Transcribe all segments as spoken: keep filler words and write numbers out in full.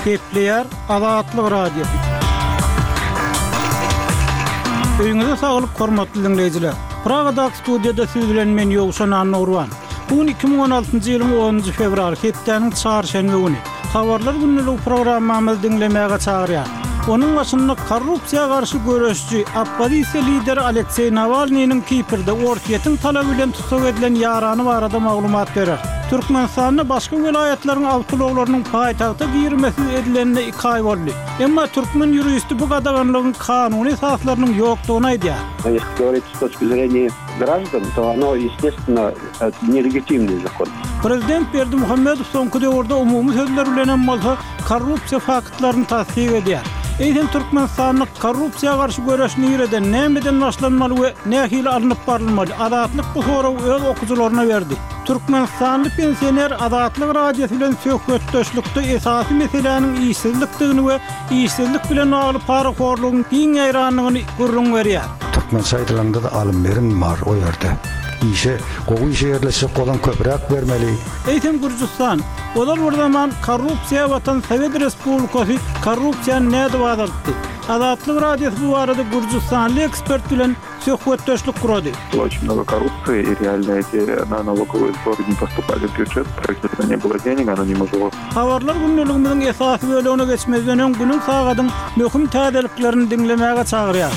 Gepleýär Azatlyk Radiosy. Öýüňize saglyk hormatly diňleýjiler. Pragadaky studiýada siz bilen men Ýowşan Annagurban. Bu gün iki müň on altynjy ýylyň onunjy fewraly, hepdäniň çarşenbe güni. Habarlar günlügi programmamyzy diňlemäge çagyrýar. Onuň başynda korrupsiýa garşy göreşçi, oppozisiýa lideri Alekseý Nawalnynyň Kiprde Orsýetiň talaby bilen tussag edilen ýarany barada maglumat berer. Türkmenistanda başga welaýatlaryň awtoulaglarynyň paýtagta girmesiz edilenine iki aý boldy. Emma türkmen ýuristi bu gadaganlygyň kanuny esaslarynyň ýokdugyny aýdýar. Если говорить с точки зрения граждан, то оно, естественно, нелегитимный закон. Prezident Berdimuhamedow soňky döwürde umumy sözler bilen hem bolsa korrupsiýa faktlaryny tassyk edýär. Eýsem Türkmenistanda korrupsiýa garşy göreş nireden, nämeden başlanmaly we nähili alnyp barylmaly? Azatlyk bu soragy öz okyjylaryna berdi. Türkmenistanly pensioner Azatlyk Radiosy bilen söhbetdeşlikde esasy meseläniň işsizlikdigini we işsizlik bilen bagly parahorlugyň giň ýaýrandygyny gürrüň berýär. Türkmençe aýdylanda da alym berim bar o ýerde. Işe, gowy işe ýerleşjek bolan köpräk bermeli. Eýsem Gürjüstan, ozal bir zaman korrupsiýa batan Sowet Respublikasy korrupsiýany nädip azaltdy? Azatlyk Radiosy bu barada Gürjüstanly ekspert bilen söhbetdeşlik gurady. Было очень много коррупции, и реально эти на налоговые сборы не поступали в бюджет, правительства не было денег, оно не могло. Habarlar günlügimiziň esasy bölegine geçmezden öň günüň sagadyň möhüm täzeliklerini diňlemäge çagyrýar.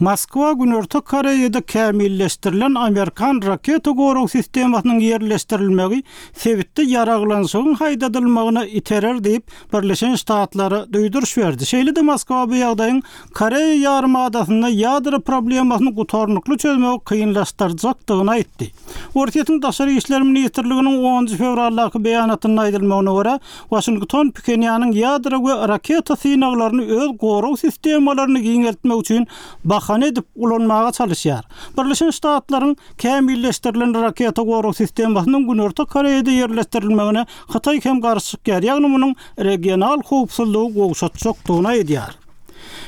Moskwa Günorta Koreýada kämilleşdirilen Amerikan raketa gorag sistemasynyň ýerleşdirilmegi sebitde ýaraglanşygyň haýdadylmagyna iterer diýip Birleşen Ştatlara duýduryş berdi. Şeýle-de Moskwa bu ýagdaýyň Koreýa ýarymadasynda ýadro problemasyny gutarnykly çözmegi kynlaşdyrjakdygyny aýtdy. Orsýetiň Daşary işler ministrliginiň onunjy fewraldaky beýanatynda aýdylmagyna görä, Washington Phenýanyň ýadro we raketa synaglaryny öz gorag sistemalaryny giňeltmek üçin bahana edip ulanmaga çalışýar. Birleşen Ştatlaryň kämilleşdirilen raketa gorag sistemasynyň Günorta Koreýada ýerleşdirilmegine Hytaý hem garşy çykýar. Ýagny munuň regional howpsuzlygy gowşatjakdygyny aýdýar.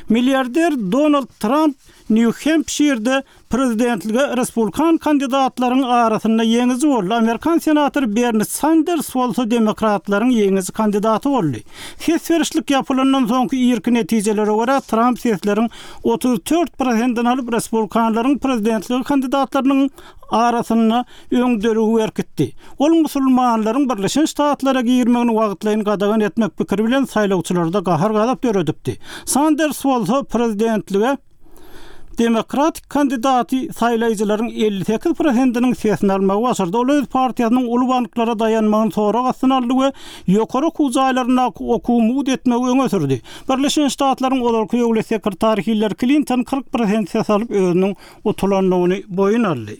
Milyarder Donald Trump New Hampshire'de prezidentlige respublikan kandidatlaryň arasynda ýeňiji boldy. Amerikan senatory Bernie Sanders bolsa demokratlaryň ýeňiji kandidaty boldy. Ses berişlik ýapylandan soňky irki netijelere görä Trump sesleriň otuz dört prosentini alyp respublikanlaryň prezidentlige kandidatlarynyň arasynda öňdeligi berkitdi. Ol musulmanlaryň Birleşen Ştatlara girmegini wagtlaýyn gadagan etmek pikiri bilen saýlawçylarda gahar-gazap döredipdi. Sanders bolsa prezidentlige demokratik kandidaty saýlaýjylaryň elli sekiz prosentiniň sesini almagy başardy. Ol öz partiýasynyň uly banklara daýanmagyny sorag astyna aldy we ýokary okuw jaýlaryndaky okuwy mugt etmegi öňe sürdi. Birleşen Ştatlaryň ozalky döwlet sekretary Hillary Clinton kyrk prosent ses alyp özüniň utulandygyny boýun aldy.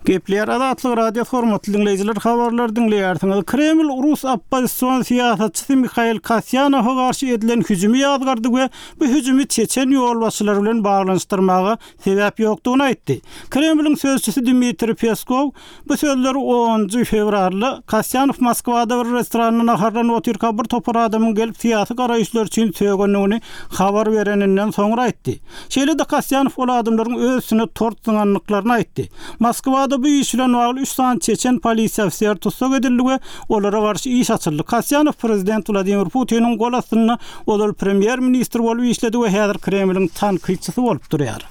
Gepleýär Azatlyk Radio hormatly diňleýjiler, habarlar diňleýärsiňiz. Kreml rus oppozision syýasatçysy Mikhail Kasýanowa garşy edilen hüjümi ýazgardy we bu hüjümi Çeçen ýolbaşçylary bilen baglanyşdyrmaga sebäp ýokdugyny aýtdy. Kremliň sözçüsi Dmitriý Peskow bu sözleri onunjy fewralda Kasýanow Moskwada bir restoranda naharlanyp otyrka bir topar adamyň gelip syýasy garaýyşlar üçin sögendigini habar bereninden soňra aýtdy. Şeýle-de Kasýanow ol adamlaryň öz üstüne tort zyňandyklaryny aýtdy. Moskwada bu iş bilen bagly üç sany Çeçen polisiýa ofiseri tussag edildi we olara garşy iş açyldy. Kasýanow prezident Wladimir Putiniň gol astynda ozal premýer-ministr bolup işledi we häzir Kremliň tankytçysy bolup durýar.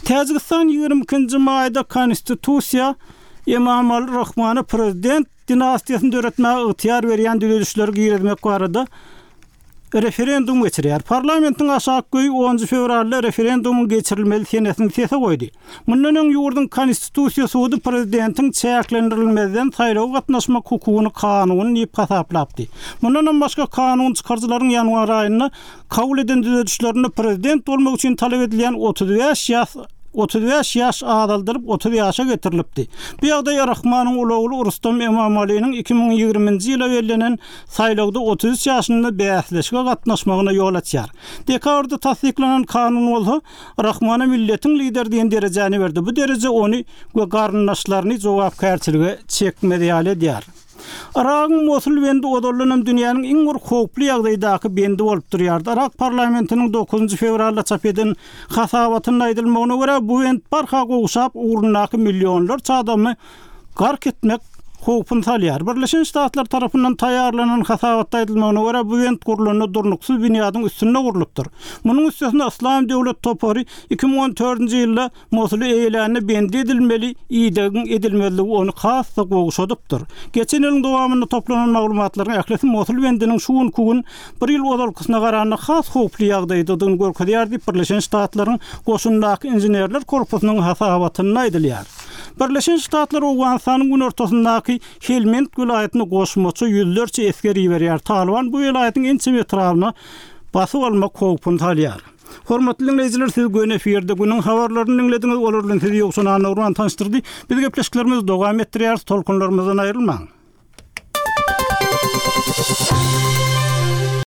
Täjigistan ýigrimi ikinji maýda konstitusiýa Emomali Rahmana prezident dinastiýasyny döretmäge ygtyýar berýän düzedişleri girizmek barada referendum geçirýär. Parlamentiň aşaky öýi onunjy fewralda referendumyň geçirilmeli senesini sese goýdy. Mundan öň ýurduň konstitusiýa sudy prezidentiň çäklendirilmezden saýlawa gatnaşmak hukugyny kanuny diýip hasaplapdy. Mundan hem başga kanun çykaryjylaryň ýanwar aýynda kabul eden düzedişlerinde prezident bolmak üçin talap edilýän otuz bäş ýaş otuz bäş ýaş azaldyryp otuz ýaşa getirilipdi. Bu ýagdaý Rahmanyň ulagly Rustam Emomalinyň iki müň ýigriminji ýyla bellenen saýlawda otuz üç ýaşynda bäsleşige gatnaşmagyna ýol açýar. Dekabrda tassyklanan kanun bolsa Rahmana milletiň lideri diýen derejäni berdi. Bu dereje ony we garyndaşlaryny jogapkärçilige çekmez ýaly edýär. Yragyň Mosul bendi ozaldanam dünýäniň iň bir howply ýagdaýdaky bendi bolup durýardy. Yrak parlamentiniň dokuzynjy fewralda çap eden hasabatynda aýdylmagyna görä, bu bent barha gowşap, ugrundaky millionlarça adamy gark etmek howpuny salýar. Birleşen Ştatlar tarapyndan taýýarlanan hasabatda aýdylmagyna görä, bu bent gurlanda durnuksyz binýadyň üstünde gurlupdyr. Munuň üstesine Yslam döwlet topary iki müň on dördünji ýylda Mosuly eýelände bendi edilmeli idegiň edilmezligi ony has-da gowşadypdyr. Geçen ýylyň dowamynda toplanan maglumatlaryň ählisi Mosul bendiniň şu günki gün bir ýyl ozalkysyna garanda has howply ýagdaýdadygyny görkezýär diýip, Birleşen Ştatlaryň goşundaky inženerler korpusynyň hasabatynda aýdylýar. Birleşen Ştatlar Owganystanyň günortasyndaky Helmend welaýatyna goşmaça ýüzlerçe esger iberýär. Talyban bu welaýatyň ençeme etrabyna basyp almak howpuny salýar. Hormatly diňleýjiler, siz göni efirde günüň habarlaryny diňlediňiz. Olar bilen sizi Ýowşan Annagurban tanyşdyrdy. Biz gepleşiklerimizi dowam etdirýäris. Tolkunlarymyzdan aýrylmaň.